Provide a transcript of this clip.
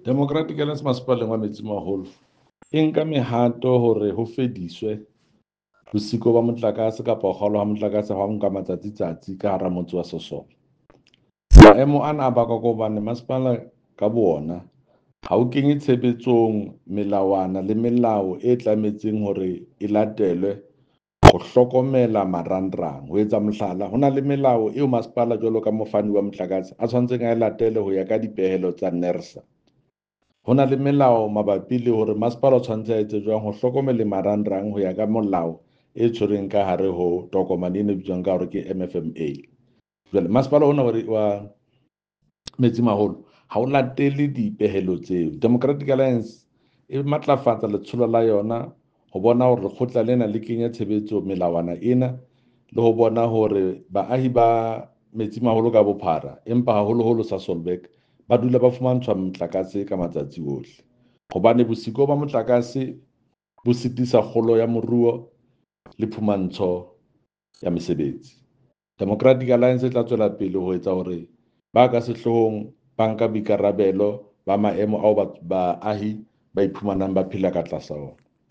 Democratic Alliance Masepaleng wa Metsimaholo e nka mehato hore ho fediswe bosiko ba motlakase kapa ho kgaolwa ha motlakase ha nka matsatsi-tsatsi ka hara motse wa Sosola. Maemo ana a bakwa ke hobane masepala ka bo ona ha o kenye tshebetsong melawana le melao e tlametseng hore e latelwe ho hlokomela marangrang. Ho etsa mohlala, ho na le melao eo masepala jwalo ka mofani wa motlakase a tshwanetseng a e latele ho ya ka dipehelo tsa NERSA. Ho na le melao mabapi le hore masepala o tshwanetse a etse jwang ho hlokomele marangrang ho ya ka molao e tshwereng ka hare ho tokomane eno e bitswang ka hore ke MFMA. Jwale masepala ona wa Metsimaholo ha o latele dipehelo tseo. Democratic Alliance e matlafatsa letsholo la yona ho bona hore lekgotla lena le kenya tshebetso melawana ena le ho bona hore baahi ba Metsimaholo ka bophara empa haholoholo Sasolburg ba dula ba fumantshwa motlakase ka matsatsi ohle. Hobane bosiko ba motlakase bo sitisa kgolo ya moruo le phumantsho ya mesebetsi. Democratic Alliance e tla tswela pele ho etsa hore ba ka sehloohong ba nka boikarabelo ba maemo ao baahi ba iphumanang ba phela ka tlasa ona.